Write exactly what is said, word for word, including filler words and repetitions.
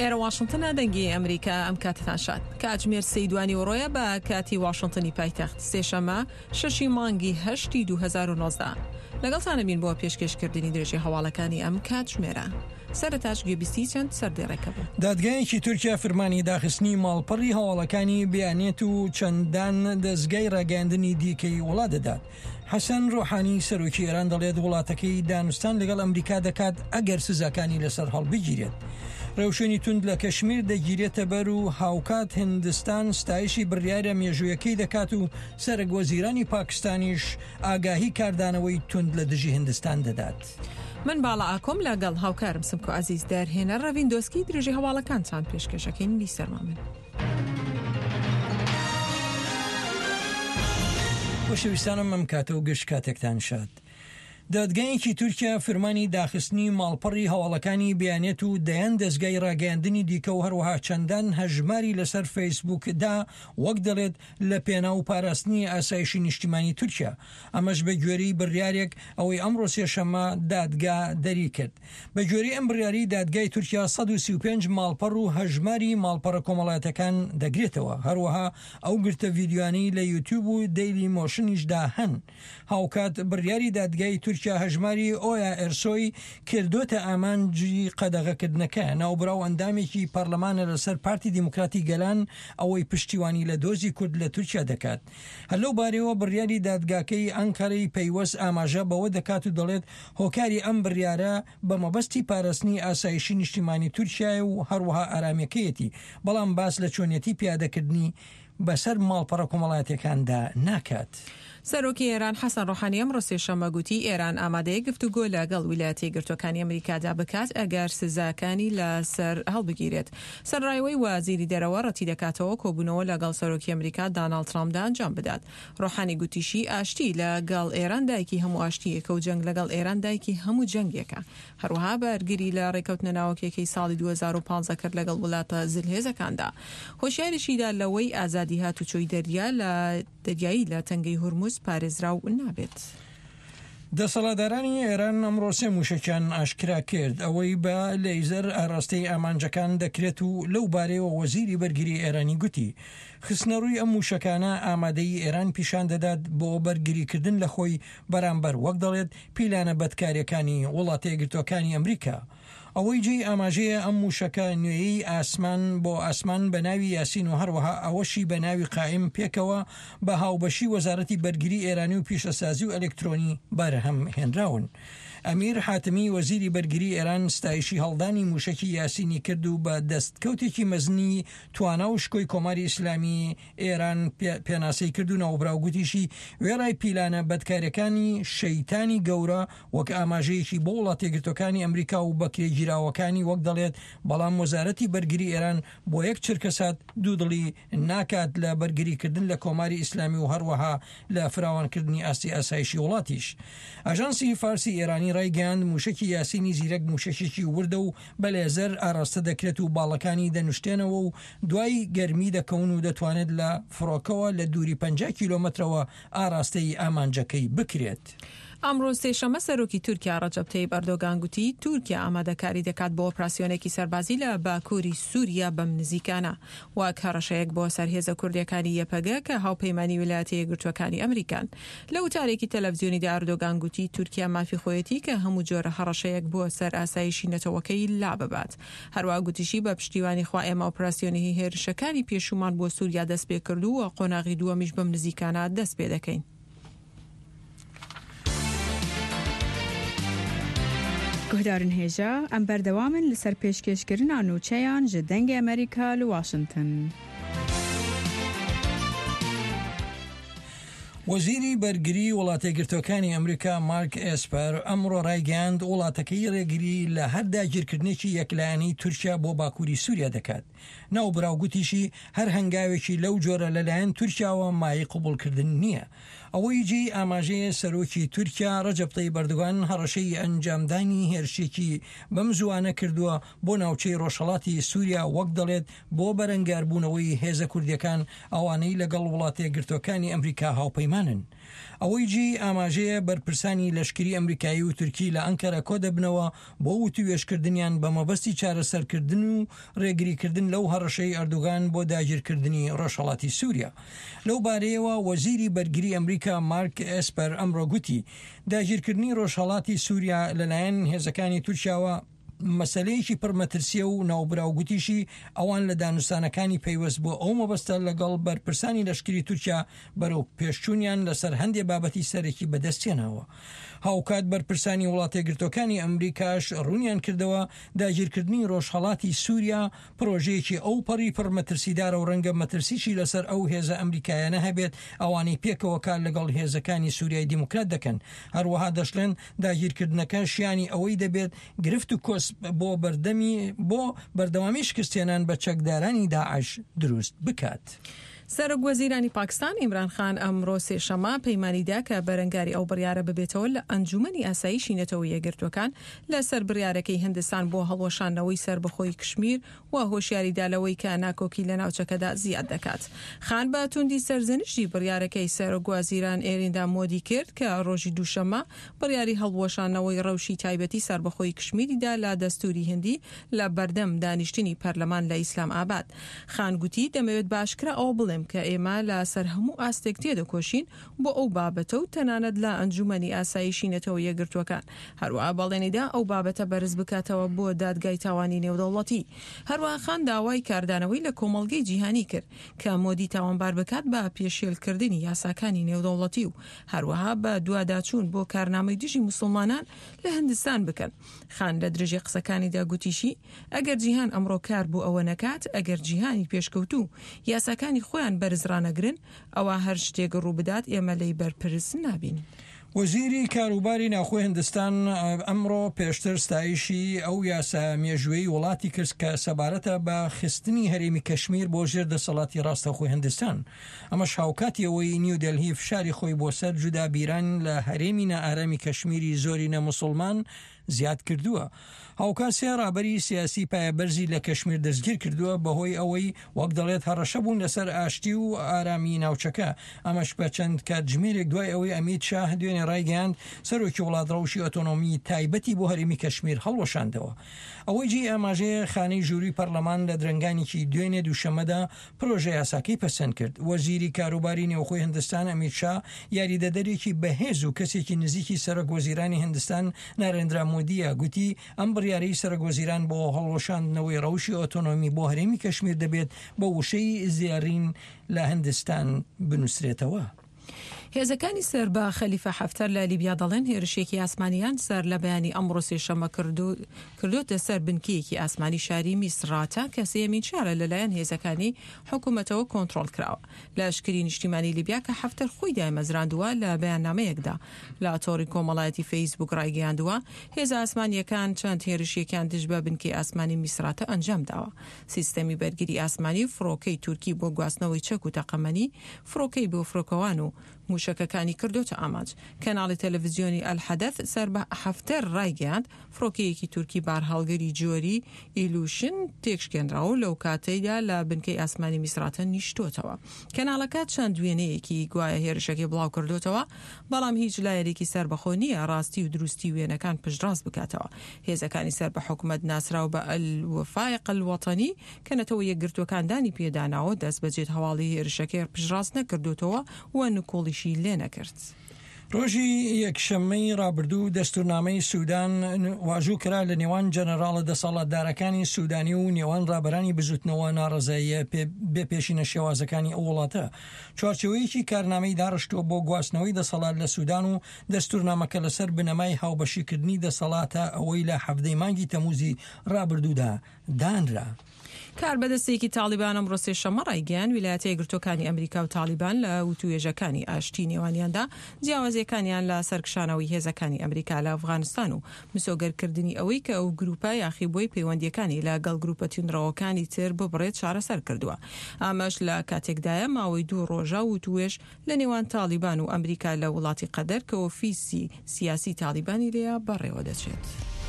ئێرە واشنتنە، دەنگی ئەمریکا. ئەم کاتتان شاد. کاتژمێر سێی دوانیوەڕۆیە بە کاتی واشنتنی پایتەخت، سێشەمە شەشی مانگی هەشتی دوو هەزار و نۆزدە. لەگەڵتانە بین بۆ پێشکێشکردنی درێژی هەواڵەکانی ئەم کاتژمێرە. سەرەتاش گوێبیستی چەند سەردێڕێکە بوو. دادگایەکی تورکیا فرمانی داخستنی ماڵپەڕی هەواڵەکانی بیانێت و چەندان دەزگای ڕاگەیاندنی دیکەی وڵات دەدات. حەسەن ڕۆحانی سەرۆکی ئێران دەڵێت وڵاتەکەی دانوستان لەگەڵ ئەمریکا دەکات ئەگەر سزاکانی لەسەر هەڵبگیرێت. ڕێوشوێنی توند لە کەشمیر دەگیرێتە بەر و هاوکات هندستان ستایشی بڕیارە مێژوویەکەی دەکات و سەرەک وەزیرانی پاکستانیش ئاگاهی کاردانەوەی توند لە دژی هندستان دەدات. من باڵا ئاکۆم لەگەڵ هاوکارم سمکۆ عەزیز دەرهێنەر ڕەڤین دۆسکی درێژی هەواڵەکانتان پێشکێشەکەین. بیسەرمان بن. خۆشەویستانم ئەم کاتە و گشت کاتێکتان شاد. دادگایەکی تورکیا فرمانی داخستنی ماڵپەڕی هەواڵەکانی بیانێت و دەیان دەزگای ڕاگەیاندنی دیکە و هەروەها چەندان هەژماری لەسەر فەیسبوکدا وەک دەڵێت لە پێناو پاراستنی ئاسایشی نیشتیمانی تورکیا. ئەمەش بە گوێرەی بڕیارێک ئەوەی ئەمڕۆ سێشەممە دادگا دەری کرد. بە گوێرەی ئەم بڕیاری دادگای تورکیا سەد و سی و پێنج ماڵپەڕ و هەژماری ماڵپەڕە کۆمەڵایەتەکان دەگرێتەوە. هەروەها ئەو گرتە ڤیدیۆیانەی لە یوتیوب و دەیلی مۆشنیشدا هەن. هاوکات بڕیاری دادگای تورکیا هەژماری ئۆیا ئێرسۆی کردۆتە ئامانجی قەدەغەکردنەکە. ناوبراو ئەندامێکی پەرلەمانە لەسەر پارتی دیموکراتی گەلان ئەوەی پشتیوانی لە دۆزی کورد لە تورکیا دەکات. هەر لەو بارەیەوە بڕیاری دادگاکەی ئەنکەرەی پەیوەست ئاماژە بەوە دەکات و دەڵێت هۆکاری ئەم بڕیارە بە مەبەستی پاراستنی ئاسایشی نیشتیمانی تورکیایە و هەروەها ئارامیەکەیەتی، بەڵام باس لە چۆنیەتی پیادەکردنی بەسەر ماڵپەڕە کۆمەڵایەتیەکاندا ناکات. سەرۆکی ئێران حەسەن ڕۆحانی ئەمڕۆ سێشەممە گوتی ئێران ئامادەیە گفتوگۆ لەگەڵ ویلایەتە یەکگرتووەکانی ئەمریکادا بکات ئەگەر سزاکانی لەسەر هەڵبگیرێت. سەرڕایەوەی وەزیری دەرەوە ڕەتی دەکاتەوە کۆبوونەوە لەگەڵ سەرۆکی ئەمریکا داناڵد ترامپدا ئەنجام بدات. ڕۆحانی گوتیشی ئاشتی لەگەڵ ئێران دایکی هەموو ئاشتییەکە و جەنگ لەگەڵ ئێران دایکی هەموو جەنگێکە. هەروەها بەرگری لە ڕێکەوتنە ناوەکیەکەی ساڵی دوو هەزار و پازدە کرد لەگەڵ وڵاتە زلهێزەکاندا. هۆشیاریشیدا لەوەی ئازادی هاتوچۆی دەریا لە دەریایی لە تەنگەی هورمز پارێزراو نابێت. دەسەڵاتدارانی ئێران ئەمڕۆ سێ موشەکیان ئاشکرا کرد ئەوەی بە لەیزەر ئاراستەی ئامانجەکان دەکرێت و لەو بارەیەوە وەزیری بەرگری ئێرانی گوتی خستنەڕووی ئەم موشەکانە ئامادەی ئێران پیشان دەدات بۆ بەرگریکردن لە خۆی بەرامبەر وەک دەڵێت پیلانە بەدکاریەکانی وڵاتە یەکگرتووەکانی ئەمریکا. ئەوەی جێی ئاماژەیە ئەم موشەکە نوێیەی ئاسمان بۆ ئاسمان بە ناوی یاسین و هەروەها ئەوەشی بە ناوی قائم پێکەوە بە هاوبەشی وەزارەتی بەرگری ئێرانی و پیشەسازی و ئەلکترۆنی بەرهەم هێنراون. ئەمیر حاتمی وەزیری بەرگری ئێران ستایشی هەڵدانی موشەکی یاسینی کرد و بە دەستکەوتێکی مەزنی توانا و شکۆی کۆماری ئیسلامی ئێران پێناسەی کرد و ناوبراو گوتیشی وێڕای پیلانە بەدکاریەکانی شەیتانی گەورە وەک ئاماژەیەکی بۆ وڵاتە یەکگرتووەکانی ئەمریکا و بەکرێگیراوەکانی وەک دەڵێت، بەڵام وەزارەتی بەرگری ئێران بۆ یەک چرکەسات دوودڵی ناکات لە بەرگریکردن لە کۆماری ئیسلامی و هەروەها لە فراوانکردنی ئاستی ئاسایشی وڵاتیش. ئاژانسی فارسی ئێرانی ڕایگەیاند موشەکی یاسینی زیرەک موشەکێکی وردە و بە لێزەر ئاراستە دەکرێت و باڵەکانی دەنوشتێنەوە و دوای گەرمی دەکەون و دەتوانێت لە فڕۆکەوە لە دووری پەنجا کیلۆمەترەوە ئاراستەی ئامانجەکەی بکرێت. ئەمڕۆ سێشەممە سەرۆکی تورکیا ڕەجەب تەیب ئەردۆگان گوتی تورکیا ئامادەکاری دەکات بۆ ئۆپراسیۆنێکی سەربازی لە باکووری سووریا بەم نزیکانە وەک هەڕەشەیەک بۆ سەر هێزە کوردیەکانی یەپەگە کە هاوپەیمانی ویلایەتە یەکگرتووەکانی ئەمریکان. لە وتارێکی تەلەڤزیۆنیدا ئەردۆگان گوتی تورکیا مافی خۆیەتی کە هەموو جۆرە هەڕەشەیەک بۆ سەر ئاسایشی نەتەوەکەی لا ببات. هەروەها گوتیشی بە پشتیوانی خوا ئێمە ئۆپراسیۆنی هێرشەکانی پێشوومان بۆ سووریا دەست پێ کرد و قۆناغی دووەمیش بەم نزیکانە دەست پێ دەکەین. گوهدارن هێژا ئەم بەردەوامن لەسەر پێشکێشکردنا نوچەیان ji دەنگی ئەمریکا لە واشنگتن. وەزیری بەرگری وڵاتە یەکگرتووەکانی ئەمریکا مارک ئێسپەر ئەمڕۆ ڕایگەیاند وڵاتەکەی ڕێگری لە هەر داگیرکردنێکی یەکلایەنەی تورکیا بۆ باکووری سووریا دەکات. ناوبراو گوتیشی هەر هەنگاوێکی لەو جۆرە لەلایەن تورکیاوە مایەی قبوڵکردن نییە. ئەوەی جێی ئاماژەیە سەرۆکی تورکیا ڕەجەب تەیب ئەردۆغان هەڕەشەی ئەنجامدانی هێرشێکی بەم زووانە کردووە بۆ ناوچەی ڕۆژهەڵاتی سووریا وەک دەڵێت بۆ بەرەنگاربوونەوەی هێزە کوردیەکان ئەوانەی لەگەڵ وڵاتە یەکگرتووەکانی ئەمریکا هاوپەیمانن. ئەوەی جێی ئاماژەیە بەرپرسانی لەشکری ئەمریکایی و تورکی لە ئەنکەرە کۆدەبنەوە بۆ وتوێژکردنیان بە مەبەستی چارەسەرکردن و ڕێگریکردن لەو هەڕەشەی ئەردوگان بۆ داگیرکردنی ڕۆژهەڵاتی سووریا. لەو بارەیەوە وەزیری بەرگری ئەمریکا مارک ئێسپەر ئەمڕۆ گوتی داگیرکردنی ڕۆژهەڵاتی سووریا لەلایەن هێزەکانی تورکیاوە مەسلەیەکی پڕمەترسیە و ناوبراو گوتیشی ئەوان لە دانوستانەکانی پەیوەست بۆ ئەو مەبەستە لەگەڵ بەرپرسانی لەشکری تورکیا بەرەو پێشچوونیان لەسەر هەندێ بابەتی سەرەکی بەدەستهێناوە. هاوکات بەرپرسانی وڵاتەیەکگرتووەکانی ئەمریکاش ڕوونیان کردەوە داگیرکردنی ڕۆژهەڵاتی سووریا پرۆژەیەکی ئەو پەڕی پڕمەترسیدارە و ڕەنگە مەترسیشی لەسەر ئەو هێزە ئەمریکایانە هەبێت ئەوانەی پێکەوە کار لەگەڵ هێزەکانی سووریای دیموکرات دەکەن. هەروەها دەشڵێن داگیرکردنەکە شیانی ئەوەی دەبێت گرفت و کۆسپ بۆ بەردەمی بۆ بەردەوامی شکستێنان بە چەکدارانی داعش دروست بکات. سەرۆک وەزیرانی پاکستان ئیمران خان ئەمڕۆ سێشەممە پەیمانی دا کە بەرەنگاری ئەو بڕیارە ببێتەوە لە ئەنجومەنی ئاسایشی نەتەوە یەکگرتووەکان لەسەر بڕیارەکەی هندستان بۆ هەڵوەشاندنەوەی سەربەخۆیی کشمیر و هۆشیاری دا لەوەی کە ناکۆکی لە ناوچەکەدا زیاد دەکات. خان بە توندی سەرزەنشتی بڕیارەکەی سەرۆک وەزیران ئێریندا مۆدی کرد کە ڕۆژی دووشەممە بڕیاری هەڵوەشاندنەوەی ڕەوشی تایبەتی سەربەخۆیی کشمیری دا لە دەستوری هندی لە بەردەم دانیشتنی پەرلەمان لە ئیسلام ئاباد. خان گوتی دەمەوێت بە ئاشکرا ئەوە بڵێم کە ئێمە لە سەر هەموو ئاستێک تێدەکۆشین بۆ ئەو بابەتە و تەنانەت لە ئەنجومەنی ئاسایشی نەتەوە یەکگرتووەکان. هەروەها بەڵێنیدا ئەو بابەتە بەرز بکاتەوە بۆ دادگای تاوانی نێودەوڵەتی. هەروەها خان داوای کاردانەوەی لە کۆمەڵگەی جیهانی کرد کە مۆدی تاوانبار بکات بە پێشێلکردنی یاساکانی نێودەوڵەتی و هەروەها بە دواداچوون بۆ کارنامەی دژی موسڵمانان لە هندستان بکەن. خان لە درێژەی قسەکانیدا گوتیشی ئەگەر جیهان ئەمڕۆ کار بۆ ئەوە نەکات، ئەگەر جیهانی پێشکەوتوو یاساکانی خۆیان بەرز ڕانەگرن، ئەوا هەر شتێک ڕووبدات ئێمە لێی بەرپرس نابین. وەزیری کاروباری ناوخۆی هندستان ئەمڕۆ پێشتر ستایشی ئەو یاسا مێژوویەی وڵاتی کرد کە سەبارەتە بە خستنی هەرێمی کەشمیر بۆ ژێر دەسەڵاتی ڕاستەوخۆی هندستان. ئەمەش هاوکاتی ئەوەی نیودەلهی فشاری خۆی بۆ سەر جودابیران لە هەرێمی نائارامی کەشمیری زۆرینە موسڵمان زیاد کردووە. هاوکات سێ ڕابەری سیاسی پایەبەرزی لە کەشمیر دەستگیر کردووە بەهۆی ئەوەی وەک دەڵێت هەڕەشە بوون لەسەر ئاشتی و ئارامی ناوچەکە. ئەمەش بە چەند کاتژمێرێک دوای ئەوەی ئەمیت شاه دوێنێ ڕایگەیاند سەرۆکی وڵات ڕەوشی ئۆتۆنۆمی تایبەتی بۆ هەرێمی کەشمیر هەڵوەشاندەوە. ئەوەی جێی ئاماژەیە خانەی ژووری پەرلەمان لە درەنگانێکی دوێنێ دووشەممەدا پرۆژە یاساکەی پەسەند کرد. وەزیری کاروباری نێوخۆی هندستان ئەمیت شا یاریدەدەرێکی بەهێز و کەسێکی نزیکی سەرۆک وەزیرانی هندستان نارێندرا مۆدیە گوتی ئەم بڕیارەی سەرۆک وەزیران بۆ هەڵوەشاندنەوەی ڕەوشی ئۆتۆنۆمی بۆ هەرێمی کەشمیر دەبێت بە وشەی زێڕین لە هندستان بنووسرێتەوە. هێزەکانی سەر بە خەلیفە حەفتەر لە لیبیا دەڵێن هێرشێکی ئاسمانیان سەر لە بەیانی ئەمڕۆ سێشەممە کردۆتە سەر بنکەیەکی ئاسمانی شاری میسراتە کە سێیەمین شارە لەلایەن هێزەکانی حکوومەتەوە کۆنترۆڵ کراوە. لەشکری نیشتیمانی لیبیا کە حەفتەر خۆی دایمەزراندووە لە بەیاننامەیەکدا لە تۆڕی کۆمەڵایەتی فەیسبوک ڕایگەیاندووە هێزە ئاسمانییەکان چەند هێرشێکیان دژ بە بنکەی ئاسمانی میسراتە ئەنجام داوە. سیستەمی بەرگری ئاسمانی و فڕۆکەی تورکی بۆ گواستنەوەی چەک و تەقەمەنی، فڕۆکەی بۆ فڕۆکەوان و موشەکەکانی کردۆتە ئامانج. کەناڵی تەلەڤزیۆنی ئەلحەدەث سەر بە حەفتەر ڕایگەیاند، فڕۆکەیەکی تورکی بارهەڵگری جۆری ئیلوشن تێکشکێنراوە و لەو کاتەیدا لە بنکەی ئاسمانی میسراتە نیشتۆتەوە. کەناڵەکە چەند وێنەیەکی گوایە هێرشەکەی بڵاوکردۆتەوە، بەڵام هیچ لایەنێکی سەربەخۆ نییە ڕاستی و دروستی وێنەکان پشتڕاست بکاتەوە. هێزەکانی سەر بە حکومەت ناسراو بە الوفاق الوطنی کە نەتەوە یەکگرتووەکان دانی پێداناوە، دەستبەجێ هەواڵی هێرشەکەی پشتڕاست نەکردۆتەوە و نکوڵیشی لێنەکرد. ڕۆژی یەکشەممەی ڕابردوو دەستورنامەی سودان واژوو کرا لە نێوان جەنەراڵە دەسەڵاتدارەکانی سودانی و نێوان ڕابەرانی بزوتنەوە ناڕەزاییە بێ پێشینە شێوازەکانی ئەو وڵاتە چوارچێوەیەکی کارنامەی داڕشتووە بۆ گواستنەوەی دەسەڵات لە سودان و دەستورنامەکە لەسەر بنەمای هاوبەشیکردنی دەسەڵاتە ئەوەی لە حەڤدەی مانگی تەموزی ڕابردوودا دانرا. کاربەدەستێکی تاڵیبان ئەمڕۆ سێشەممە ڕایگەیاند، ویلایەتە یەکگرتووەکانی ئەمریکا و تاڵیبان لە وتووێژەکانی ئاشتی نێوانیاندا جیاوازییەکانیان لە سەرکشانەوەی هێزەکانی ئەمریکا لە ئەفغانستان و مسۆگەرکردنی ئەوەی کە ئەو گروپە یاخیبووەی پەیوەندییەکانی لە گەڵ گروپە توندڕەوەکانی تر ببڕێت چارەسەر کردووە. ئەمەش لە کاتێکدایە ماوەی دوو ڕۆژە وتووێژ لە نێوان تاڵیبان و ئەمریکا لە وڵاتی قەتەر کە ئۆفیسی سیاسی تاڵیبانی لێیە بەڕێوەدەچێت.